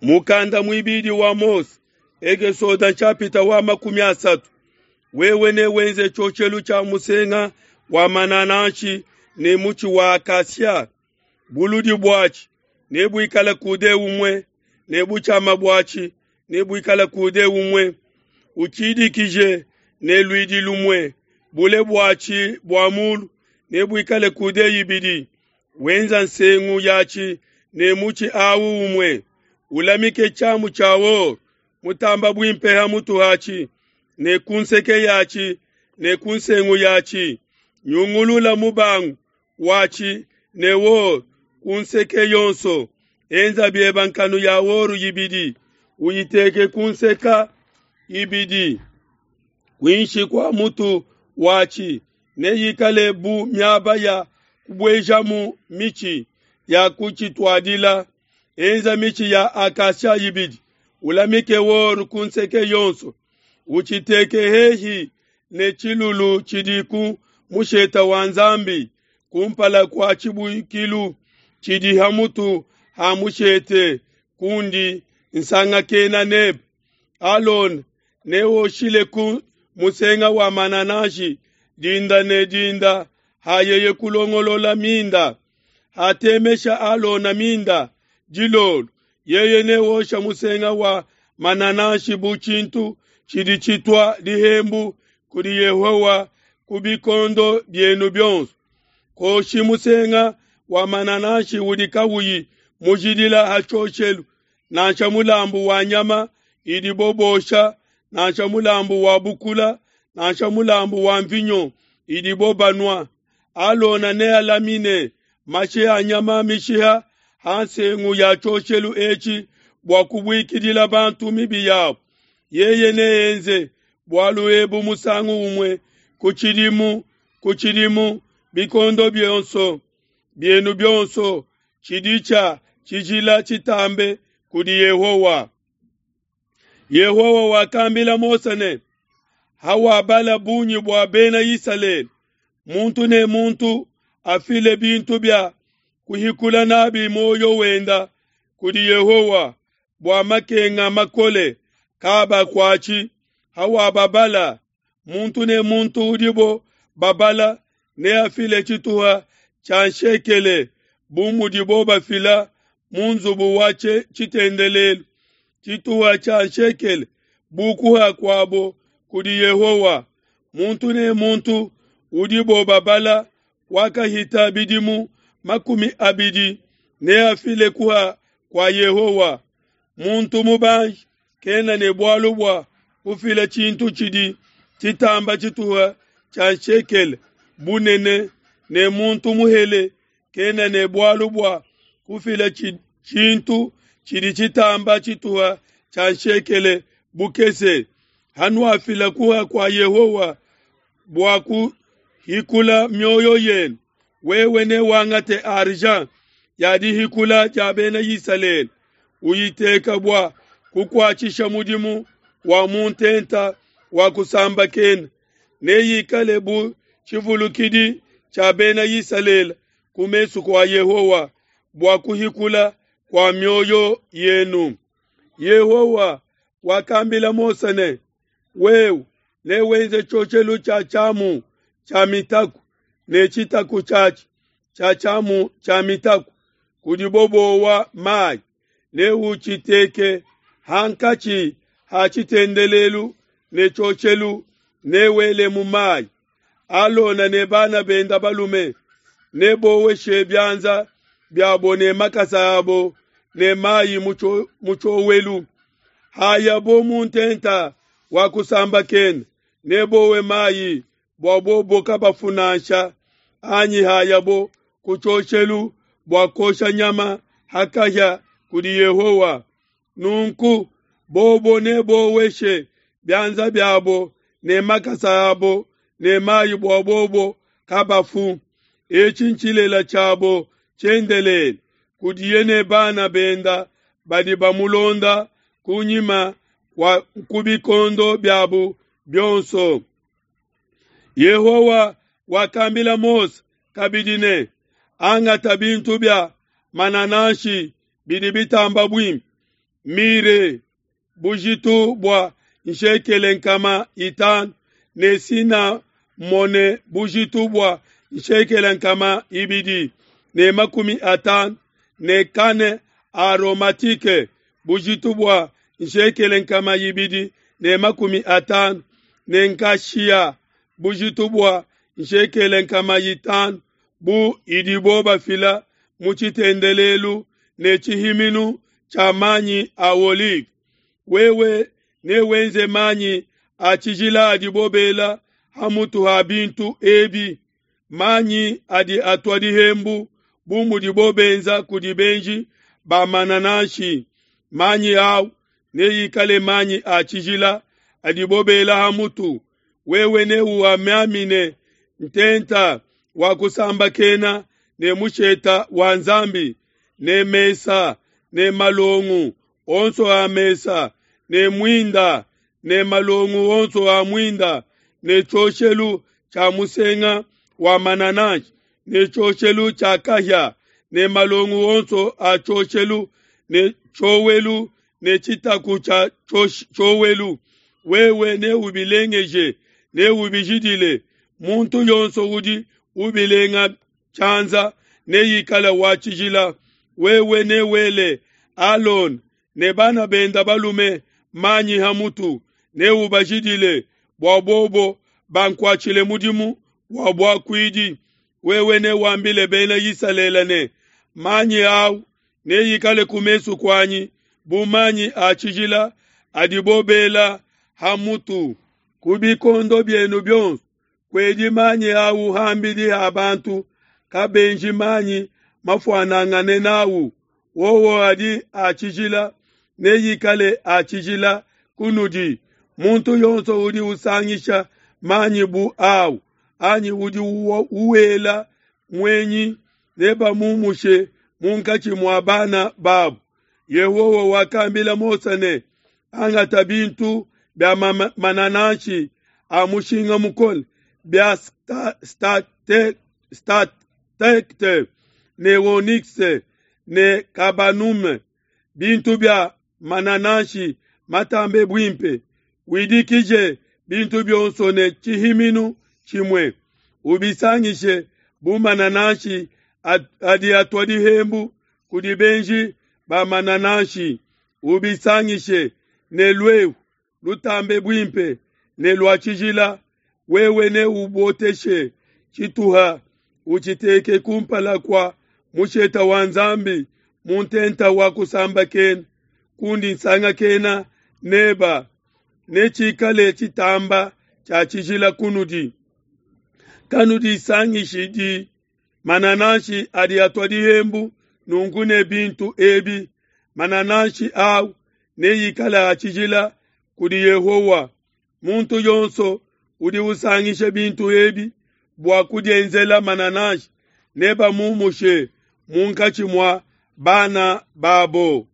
Mukanda muibidi wa Mose, Ekesode nshapita wa 30. Wewe newenze tshioshelu tshia musenga wa manananshi ne mutshi wa acacia. Buludi buatshi nebuikale kude umue, ne butshiama buatshi nebuikale kude umue. Utshidikije ne luidi lumue, bule buatshi bua mulu nebuikale kude ibidi. Wenza nsengu yatshi ne mutshi awu umue. Ulamike tshiamu tshia or mutamba buimpe ha mutu hatshi, ne ku nseke yatshi ne ku nsengu yatshi. Nyungulula mubangu watshi ne or ku nseke yonso. Enza bieba nkanu ya or ibidi, uyiteke ku nseka ibidi kuinshi kua mutu watshi. Neyikale bu miaba ya kubuejamu mitshi ya kutshituadila. Enza mitshi ya acacia ibidi, ulamike or ku nseke yonso. Utshiteke hehi ne tshilulu tshidi ku musheta wa Nzambi, kumpala kua tshibuikilu tshidi ha mutu ha mushete kundi nsangakena nebe. Alona neoshile ku musenga wa manananshi dinda ne dinda hayeye kulongolola minda. Hatemesha Alona minda dilolo, yeye neosha musenga wa manananshi bu tshintu tshidi tshitua dihembu kudi Yehowa ku bikondo bienu bionso. Koshi musenga wa manananshi udi kawuyi mujidila ha tshioshelu, nansha mulambu wa nyama idibo bosha, nansha mulambu wa bukula, nansha mulambu wa mvinyo idibo banua. Alona nealamine mashi a nyama mishiha ha nsengu ya tshioshelu etshi bua kubuikidila bantu mibi yabo. Yeye neenze bualu ebu musangu umue ku tshidimu ku tshidimu, bikondo bionso bienu bionso, tshidi tshia tshijila tshitambe kudi Yehowa. Yehowa wakambila Mose ne, hawabala bungi bua bena Isalele, muntu ne muntu afile bintu bia kuhikula nabi muoyo wenda kudi Yehowa bua makenga makole kabakuatshi. Hawababala, muntu ne muntu udibo babala neafile tshituha tshia nshekele bu mudibo bafila mu nzubu wa tshitendelelu, tshituha tshia nshekele bu kuha kuabo kudi Yehowa. Muntu ne muntu udibo babala wakahita bidimu 20 neafile kuha kua Yehowa. Muntu mubanji kena ne bualu bua kufila tshintu tshidi tshitamba tshituha tshia nshekele bunene, ne muntu muhele kena ne bualu bua kufila tshintu tshidi tshitamba tshituha tshia nshekele bukese. Hanuafila kuha kua Yehowa bua kuhikula mioyo yenu, wewe newangate argent ya dihikula dia bena Isalele, uyiteka bua kukuatshisha mudimu wa mu ntenta wa kusambakena. Neyikale bu tshivulukidi tshia bena Isalele ku mesu kua Yehowa bua kuhikula kua mioyo yenu. Yehowa wakambila Mose ne, wewe newenze tshioshelu tshia tshiamu tshia mitaku ne tshitaku tshiatshi tshia tshiamu tshia mitaku kudibo bowa mayi, neutshiteke hankatshi ha tshitendelelu ne tshioshelu, newele mu mayi. Alona ne bana benda balume neboweshe bianza biabo ne makasa abo ne mayi mu tshiowelu. Hayabo mu ntenta wa kusambakena, nebowe mayi bua bobo kabafu nansha, anyi hayabo ku tshioshelu bua kosha nyama hakahia kudi Yehowa. Nunku bobo neboweshe bianza biabo ne makasa abo ne mayi bua bobo kabafu. Etshi ntshilela tshiabo tshiendelele kudiye ne bana benda badi bamulonda kunyima kwa ku bikondo biabu bionso. Yehowa wakambila Mose kabidi ne, angata bintu bia manananshi bidi bitamba buimpe, mire bujitu bua nshekele 500, ne sinamone bujitu bua nshekele 250, ne kane aromatike bujitu bua nshekele 250, ne nkashia bujitu bua nshekele 500, bu idibo bafila mu tshitendelelu ne tshihiminu tshia manyi a olive. Wewe newenze manyi a tshijila adibo bela ha mutu ha bintu ebi, manyi adi atua dihembu bu mudibo benza kudi benji ba manananshi. Manyi au neikale manyi a tshijila adibo bela ha mutu. Wewe neuamiamine ntenta wa kusambakena ne musheta wa Nzambi ne mesa ne malongu onso a mesa ne muinda ne malongu onso a muinda ne tshioshelu tshia musenga wa manananshi ne tshioshelu tshia kahia ne malongu onso a tshioshelu ne tshiowelu ne tshitaku tshia tshiowelu. Wewe neubilengeje, neubijidile. Muntu yonso udi ubilenga tshianza neikale wa tshijila. Wewe newele Alone ne bana benda balume manyi ha mutu, neubajidile bua bobo bankuatshile mudimu wa buakuidi. Wewe newambile bena Isalele ne, manyi au neikale ku mesu kuanyi bu manyi a tshijila adibo bela ha mutu. Ku bikondo bienu bionso kuedi manyi au hambidi ha bantu, kabenji manyi mafuanangane nawu. Wowo adi a tshijila, neikale a tshijila kunudi. Muntu yonso udi usangisha manyi bu au anyi udi uwela muenyi, nebamumushe munkatshi mua bana babu. Yehowa wakambila Mose ne, angata bintu bia manananshi a mushinga mukole bia statekte ne onyx ne kabanume, bintu bia manananshi matambe buimpe. Widikije bintu bionso ne tshihiminu tshimue, ubisangishe bu manananshi adi atua dihembu kudi benji ba manananshi. Ubisangishe ne luehu lutambe buimpe ne lua tshijila. Wewe neuboteshe tshituha, utshiteke kumpala kua musheta wa Nzambi mu ntenta wa kusambakena, kundi nsangakena neba, netshikale tshitamba tshia tshijila kunudi. Kanudisangishidi manananshi adi atua dihembu nunku ne bintu ebi. Manananshi au neikale a tshijila kudi Yehowa. Muntu yonso udi usangisha bintu ebi bua kudienzela manananshi nebamumushe munkatshi mua bana babo.